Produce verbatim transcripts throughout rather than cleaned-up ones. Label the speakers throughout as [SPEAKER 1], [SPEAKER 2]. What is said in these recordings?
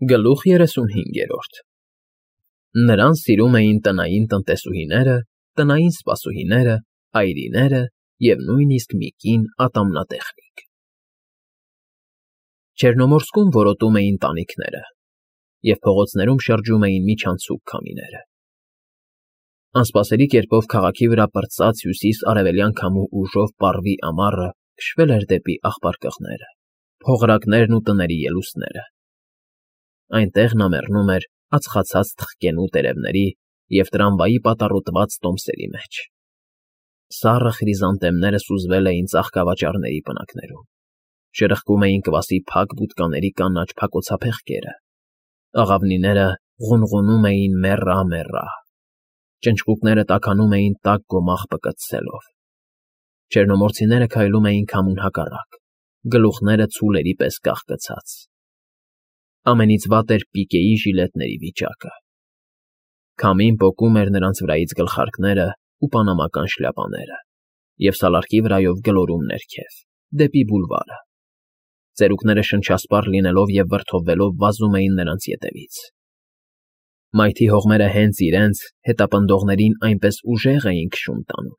[SPEAKER 1] Գլուխ երեսունհինգերորդ Նրան սիրում էին տնային տնտեսուհիները, տնային սպասուհիները, այրիները և նույնիսկ մի կին ատամնատեխնիկ։ Չեռնոմորսկում որոտում էին տանիքները, և փողոցներում շրջում էին միջանցիկ քամիները։ Անսպասելի կերպով քաղաքի վրա պրծած հյուսիս֊արևելյան քամու ուժով պառվի ամառը քշվել էր դեպի աղբարկղները, փողրակներն ու տների ելուստները։ Այնտեղ նա մեռնում էր ածխացած թխկենու տերևների և տրամվայի պատառոտված տոմսերի մեջ։ Սառը խրիզանթեմները սուզվել էին ծաղկավաճառների պնակներում, շրխկում էին կվասի փակ բութկաների կանաչ փակոցափեղկերը, աղավնիները ղունղունում էին մեռա՜֊մեռա՜, ճնճղուկները տաքանում էին տաք գոմաղ պկծցելով։ Չեռնոմորցիները քայլում էին քամուն հակառակ, գլուխները ցուլերի պես կախկցած։ Ամենից վատ էր պիկեի ժիլետների վիճակը։ Քամին պոկում էր նրանց վրայից գլխարկներն ու պանամական շլյապաները և սալարկի վրայով գլորում ներքև, դեպի բուլվարը։ Ծերուկները շնչասպառ լինելով և վրդովվելով վազում էին նրանց ետևից։ Մայթի հողմերը հենց իրենց՝ հետապնդողներին այնպես ուժեղ էին քշում տանում,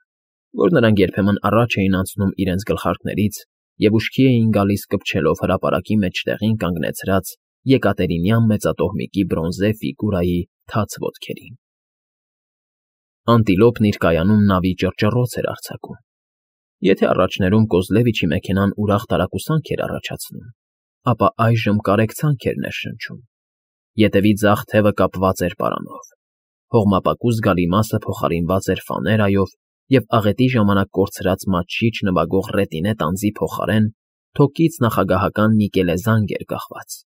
[SPEAKER 1] որ նրանք երբեմն առաջ էին անցնում իրենց գլխարկներից և ուշքի էին գալիս կպչելով հրապարակի մեջտեղին կանգնեցրած եկատերինյան մեծատոհմիկի բրոնզե ֆիգուրայի թաց ոտքերին։ Անտիլոպն իր կայանում նավի ճռճռոց էր արձակում։ Եթե առաջներում Կոզլևիչի մեքենան ուրախ տարակուսանք էր առաջացնում, ապա այժմ կարեկցանք էր ներշնչում։ Ետևի ձախ թևը կապված էր պարանով, հողմապակու զգալի մասը փոխարինված էր ֆաներայով և աղետի ժամանակ կորցրած մատչիչ նվագող ռետինե տանձի փոխարեն թոքից նախագահական նիկելե զանգ էր կախված։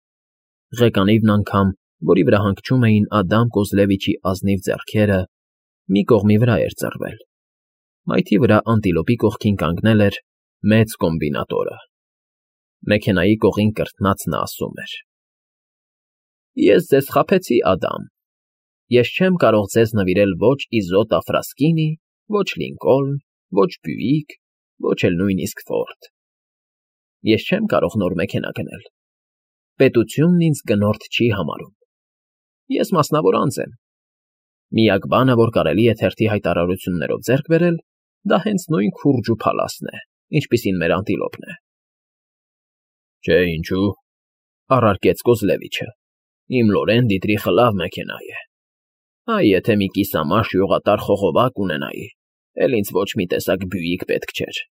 [SPEAKER 1] Ղեկանիվն անգամ, որի վրա հանգչում էին Ադամ Կոզլևիչի ազնիվ ձեռքերը, մի կողմի վրա էր ծռվել։ Մայթի վրա անտիլոպի կողքին կանգնել էր մեծ կոմբինատորը։ Մեքենայի կողին կրթնած նա ասում էր. Ես ձեզ խաբեցի, Ադամ։ Ես չեմ կարող ձեզ նվիրել ոչ Իզոտ Աֆրասկինի, ոչ Լինկոլն, ոչ Բյուիկ, ոչ էլ նույնիսկ Ֆորդ։ Ես չեմ կարող նոր մեքենա գնել։ Պետությունն ինձ գնորդ չի համարում։ Ես մասնավոր անձ եմ։ Միակ բանը, որ կարելի է թերթի հայտարարություններով ձեռք բերել, դա հենց նույն քուրջու փալասն է, ինչպիսին մեր անտիլոպն է։ Չէ, ինչու՞, առարկեց Կոզլևիչը։ Իմ Լորեն Դիտրիխը լավ մեքենա է։ Այ եթե մի կիսամաշ յուղատար խողովակ ունենայի, էլ ինձ ոչ մի տեսակ Բյուիկ պետք չէր։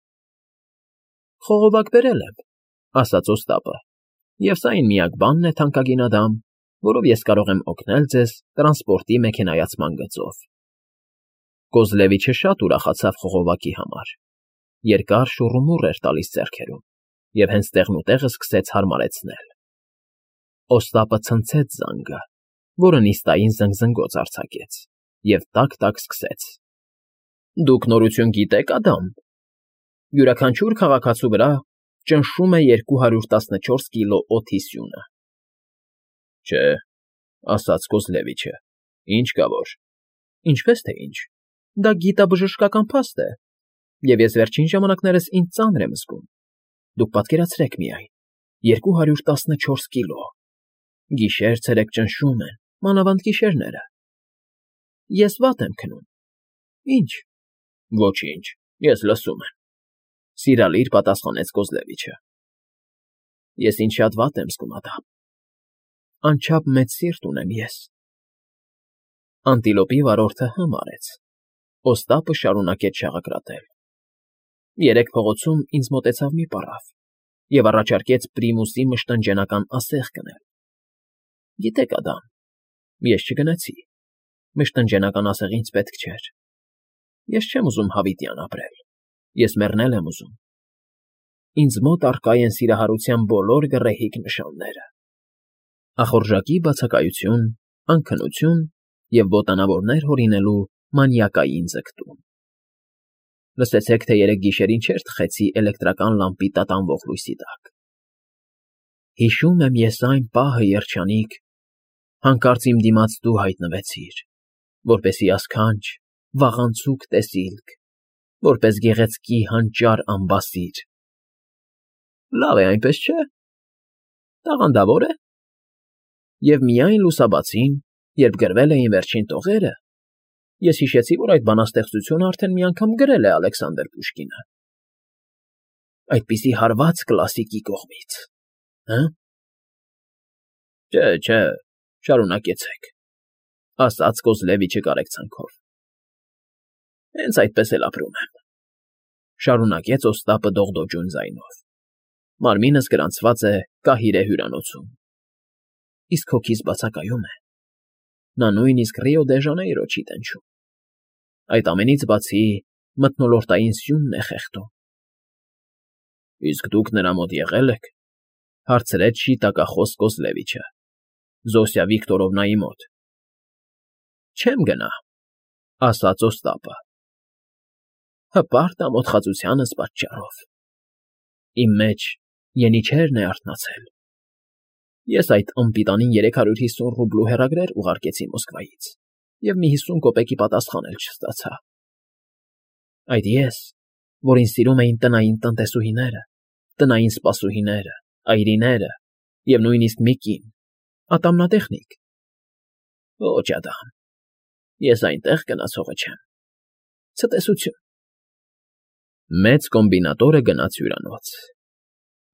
[SPEAKER 1] Խողովակ բերել եմ, ասաց Օստապը, և սա այն միակ բանն է, թանկագին Ադամ, որով ես կարող եմ օգնել ձեզ տրանսպորտի մեքենայացման գծով։ Կոզլևիչը շատ ուրախացավ խողովակի համար։ Երկար շուռումուռ էր տալիս ձեռքերում և հենց տեղնուտեղը սկսեց հարմարեցնել։ Օստապը ցնցեց զանգը, որը նիստային զնգզնգոց արձակեց, և տակ֊տակ սկսեց. Դուք նորություն գիտե՞ք, Ադամ։ Յուրաքանչյուր քաղաքացու վրա ճնշում է երկու հարյուր տասնչորս կիլո օդի սյունը։ Չէ, ասաց Կոզլևիչը, ինչ կա որ։ Ինչպես թե ինչ, դա գիտաբժշկական փաստ է, և ես վերջին ժամանակներս ինձ ծանր եմ զգում։ Դուք պատկերացրեք միայն, երկու հարյուր տասնչորս կիլո։ Գիշեր֊ցերեկ ճնշում են, մանավանդ գիշերները։ Ես վատ եմ քնում։ Ինչ։ Ոչինչ, ես լսում եմ, սիրալիր պատասխանեց Կոզլևիչը։ Ես ինձ շատ վատ եմ զգում, Ադամ։ Անչափ մեծ սիրտ ունեմ ես։ Անտիլոպի վարորդը հը մարեց։ Օստապը շարունակեց շաղակրատել։ Երեկ փողոցում ինձ մոտեցավ մի պառավ և առաջարկեց Պրիմուսի մշտնջենական ասեղ գնել։ Գիտեք, Ադամ, ես չգնացի։ Մշտնջենական ասեղ ինձ պետք չէր։ Ես չեմ ուզում հավիտյան ապրել։ Ես մեռնել եմ ուզում։ Ինձ մոտ առկա են սիրահարության բոլոր գռեհիկ նշանները։ Ախորժակի բացակայություն, անքնություն և ոտանավորներ հորինելու մանիակային ձգտում։ Լսեցեք, թե երեկ գիշերին չէր թխեցի էլեկտրական լամպի տատանվող լույսի տակ։ Հիշում եմ ես այն պահը, երջանիկ, հանկարծ իմ դիմաց դու հայտնվեցիր, որպեսզի ասքանչ, վաղանցուկ տեսիլք, որպես գեղեցկի հանճար ամբասիր։ Լավ է այնպես, չէ՞։ Տաղանդավոր է։ Եվ միայն լուսաբացին, երբ գրվել էին վերջին տողերը, ես հիշեցի, որ այդ բանաստեղծությունը արդեն մի անգամ գրել է Ալեքսանդր Պուշկինը։ Այդպիսի հարված կլասիկի կողմից, հը՞։ Չէ, չէ, շարունակեցեք, ասաց Կոզլևիչը կարեկցանքով։ Հենց այդպես էլ ապրում եմ, շարունակեց Օստապը դողդոջուն ձայնով։ Մարմինս գրանցված է Կահիրե հյուրանոցում։ Իսկ հոգիս բացակայում է։ Նա նույնիսկ Ռիո դե Ժանեյրո չի տենչում։ Այդ ամենից բացի մթնոլորտային սյունն է խեղդում։ Իսկ դուք նրա մոտ եղե՞լ եք,֊ հարցրեց շիտակախոս Կոզլևիչը։ Զոսիա Վիկտորովնայի մոտ։ Չեմ գնա,֊ ասաց Օստապը։ Հպարտ ամոթխածությանս պատճառով։ Իմ մեջ ենիչերն է արթնացել։ Ես այդ անպիտանին երեք հարյուր հիսուն ռուբլու հեռագրեր ուղարկեցի Մոսկվայից և մի հիսուն կոպեկի պատասխան էլ չստացա։ Այդ ես, որին սիրում էին տնային տնտեսուհիները, տնային սպասուհիները, այրիները և նույնիսկ մի կին, ատամնատեխնիկ։ Ոչ, Ադամ, ես այնտեղ գնացողը չեմ։ Ցտեսություն։ Մեծ կոմբինատորը գնաց հյուրանոց։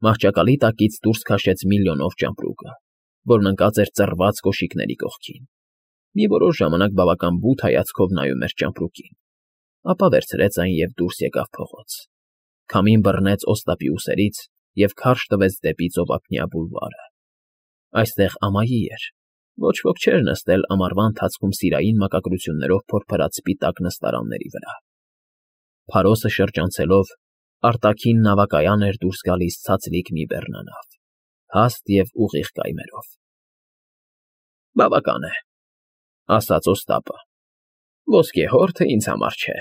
[SPEAKER 1] Մահճակալի տակից դուրս քաշեց միլիոնով ճամպրուկը, որն ընկած էր ծռված կոշիկների կողքին։ Մի որոշ ժամանակ բավական բութ հայացքով նայում էր ճամպրուկին, ապա վերցրեց այն և դուրս եկավ փողոց։ Քամին բռնեց Օստապի ուսերից և քարշ տվեց դեպի ծովափնյա բուլվարը։ Այստեղ ամայի էր, ոչ ոք չէր նստել ամառվա ընթացքում սիրային մակագրություններով փորփրած սպիտակ նստարանների վրա։ Փարոսը շրջանցելով, արտաքին նավակայան էր դուրս գալիս ցածլիկ մի բեռնանավ, հաստ և ուղիղ կայմերով։ Բավական է,֊ ասաց Օստապը։ Ոսկե հորթը ինձ համար չէ։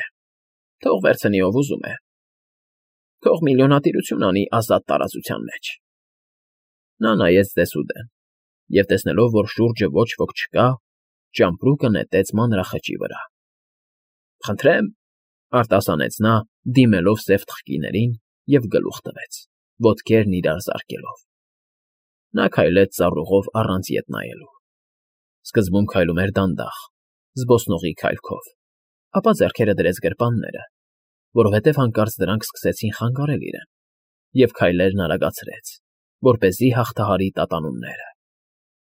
[SPEAKER 1] Թող վերցնի ով ուզում է։ Թող միլիոնատիրություն անի ազատ տարածության մեջ։ Նա նայեց դեսուդեն և, տեսնելով, որ շուրջը ոչ ոք չկա, ճամպրուկը նետեց մանրախճի վրա։ Խնդրեմ,֊ արտասանեց նա, դիմելով սև թխկիներին և գլուխ տվեց, ոտքերն իրար զարկելով։ Նա քայլեց ծառուղով առանց ետ նայելու։ Սկզբում քայլում էր դանդաղ, զբոսնողի քայլքով, ապա ձեռքերը դրեց գրպանները, որովհետև հանկարծ դրանք սկսեցին խանգարել իրեն, և քայլերն արագացրեց, որպեսզի հաղթահարի տատանումները։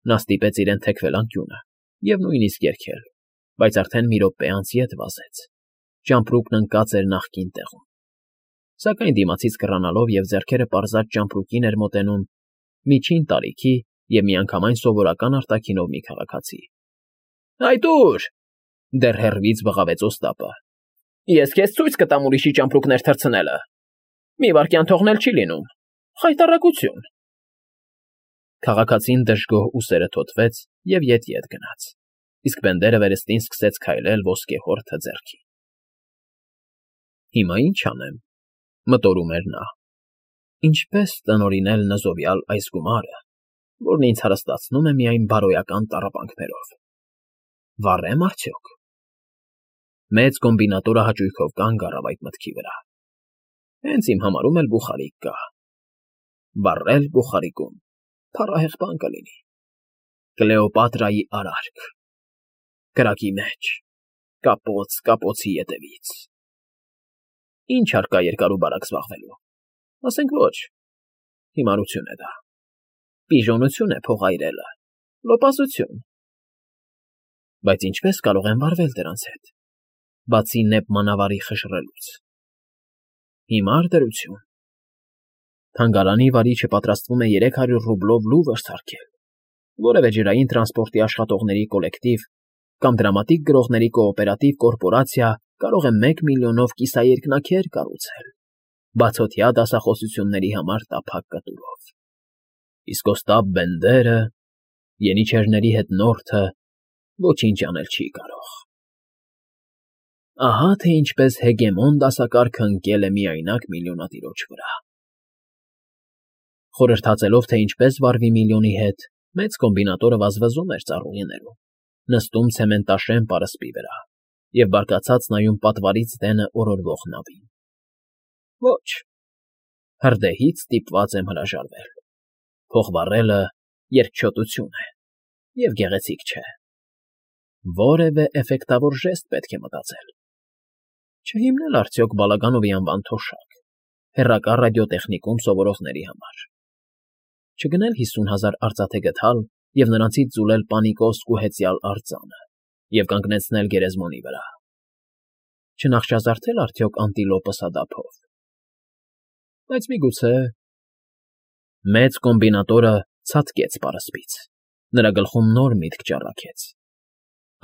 [SPEAKER 1] Նա ստիպեց իրեն թեքվել անկյունը և նույնիսկ երգել, բայց արդեն մի րոպե անց ետ վազեց։ Ճամպրուկն ընկած էր նախկին տեղում։ Սակայն դիմացից կռանալով և ձեռքերը պարզած ճամպրուկին էր մոտենում միջին տարիքի և միանգամայն սովորական արտաքինով մի քաղաքացի։ Այդ ո՞ւր,֊ դեռ հեռվից բղավեց Օստապը։ Ես քեզ ցույց կտամ ուրիշի ճամպրուկներ թռցնելը։ Մի վայրկյան թողնել չի լինում։ Խայտառակություն։ Քաղաքացին դժգոհ ուսերը թոթվեց և ետ֊ետ գնաց, իսկ բենդերը վերստին սկսեց քայլել ոսկե հորթը ձեռքին։ Հիմա ի՞նչ անեմ,֊ մտորում էր նա։ Ինչպե՞ս տնօրինել նզովյալ այս գումարը, որն ինձ հարստացնում է միայն բարոյական տառապանքներով։ Վառե՞մ արդյոք։ Մեծ կոմբինատորը հաճույքով կանգ առավ այդ մտքի վրա։ Հենց իմ համարում էլ բուխարիկ կա։ Վառել բուխարիկում փառահեղ բան կլինի։ Կլեոպատրայի արարք։ Կրակի մեջ, կապոց կապոցի ետևից։ Ինչ հարկա երկար ու բարակ զբաղվելու։ Ասենք ոչ։ Հիմարություն է դա։ Պիժոնություն է փող այրելը, լոպասություն։ Բայց ինչպե՞ս կարող եմ վարվել դրանց հետ, բացի նեպ մանավարի խժռելուց։ Հիմար դրություն։ Թանգարանի վարիչը պատրաստվում է երեք հարյուր ռուբլով լուվր սարքել, որևէ ջրային տրանսպորտի աշխատողների կոլեկտիվ կամ դրամատիկ գրողների կոոպերատիվ կորպորացիա կարող է մեկ միլիոնով կիսաերկնաքեր կառուցել, բացօթյա դասախոսությունների համար տափակ կտուրով։ Իսկ Օստապ Բենդերը, ենիչերների հետնորդը, ոչինչ անել չի կարող։ Ահա թե ինչպես հեգեմոն դասակարգը ընկել է միայնակ միլիոնատիրոջ վրա։ Խորհրդածելով, թե ինչպես վարվի միլիոնի հետ, մեծ կոմբինատորը վազվզում էր ծառուղիներում, նստում ցեմենտաշեն պարսպի վրա և բարկացած նայում պատվարից դենը օրորվող նավին։ Ոչ, հրդեհից ստիպված եմ հրաժարվել։ Փող վառելը երկչոտություն է, Եվ գեղեցիկ չէ։ Որևէ էֆեկտավոր ժեստ պետք է մտածել։ Չհիմնել արդյոք Բալագանովի անվան թոշակ, հեռակա ռադիոտեխնիկում սովորողների համար։ Չգնել հիսուն հազար արծաթե գդալ և նրանցից ձուլել պանիկոսկ ու հեծյալ արձանը և կանգնեցնել գերեզմոնի վրա։ Չնախճազարդել արդյոք անտիլոպը սադափով։ Բայց միգուցե… Մեծ կոմբինատորը ցատկեց պարսպից, նրա գլխում նոր միտք ճառագեց։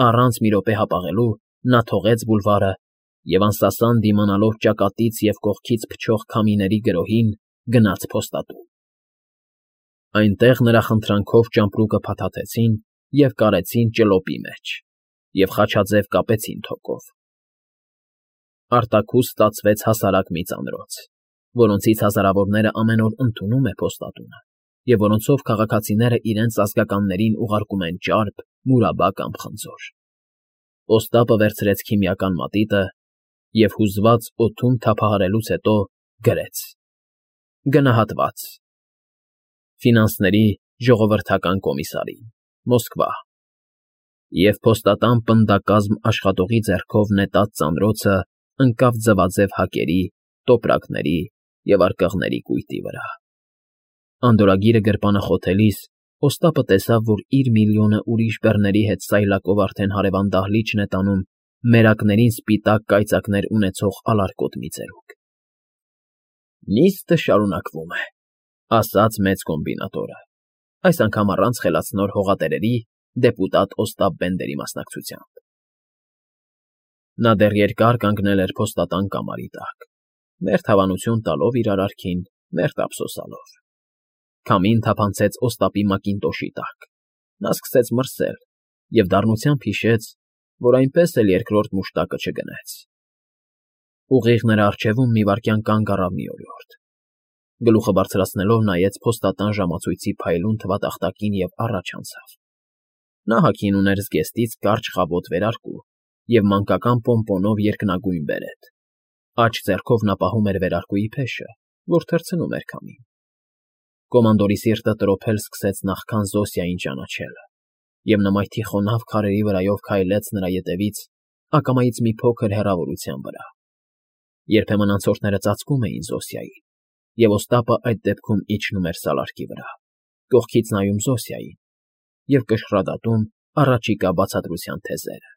[SPEAKER 1] Առանց մի րոպե հապաղելու նա թողեց բուլվարը և անսասան դիմանալով ճակատից և կողքից փչող քամիների գրոհին, գնաց փոստատուն։ Այնտեղ նրա խնդրանքով ճամպրուկը փաթաթեցին և կարեցին ճլոպի մեջ և խաչաձև կապեցին թոկով։ Արտաքուստ ստացվեց հասարակ մի ծանրոց, որոնցից հազարավորները ամեն օր ընդունում է փոստատունը և որոնցով քաղաքացիները իրենց ազգականներին ուղարկում են ճարպ, մուրաբա կամ խնձոր։ Պոստապը վերցրեց քիմիական մատիտը և, հուզված օդում թափահարելուց հետո, գրեց. Գնահատված. Ֆինանսների ժողովրդական կոմիսարին, Մոսկվա։ Եվ փոստատան պնդակազմ աշխատողի ձեռքով նետած ծանրոցը ընկավ ձվաձև հակերի, տոպրակների և արկղների կույտի վրա։ Անդորրագիրը գրպանախոթելիս Օստապը տեսավ, որ իր միլիոնը ուրիշ բեռների հետ սայլակով արդեն հարևան դահլիճն է տանում մերակներին սպիտակ կայծակներ ունեցող ալարկոտ մի ծերուկ։ Նիստը շարունակվում է, ասաց մեծ կոմբինատորը, այս անգամ առանց խելացնոր հողատերերի դեպուտատ Օստապ Բենդերի մասնակցությամբ։ Նա դեռ երկար կանգնել էր փոստատան կամարի տակ, մերթ հավանություն տալով իր արարքին, մերթ ափսոսալով։ Քամին թափանցեց Օստապի մակինտոշի տակ, նա սկսեց մրսել և դառնությամբ հիշեց, որ այնպես էլ երկրորդ մուշտակը չգնեց։ Ուղիղ նրա առջևում մի վայրկյան կանգ առավ մի օրիորդ։ Գլուխը բարձրացնելով նայեց փոստատան ժամացույցի փայլուն թվատախտակին և առաջ անցավ։ Նա հագին ուներ զգեստից կարճ խավոտ վերարկու և մանկական պոմպոնով երկնագույն բերետ։ Աջ ձեռքով նա պահում էր վերարկուի փեշը, որ թռցնում էր քամին։ Կոմանդորի սիրտը տրոփել սկսեց նախքան Զոսիային ճանաչելը, և նմայթի խոնավ քարերի վրայով քայլեց նրա ետևից ակամայից մի փոքր հեռավորության վրա։ Երբեմն անցորդները ծածկում էին Զոսիային, և Օստապը այդ դեպքում իջնում էր սալարկի վրա, կողքից նայում Զոսիային և կշռադատում առաջիկա բացատրության թեզերը։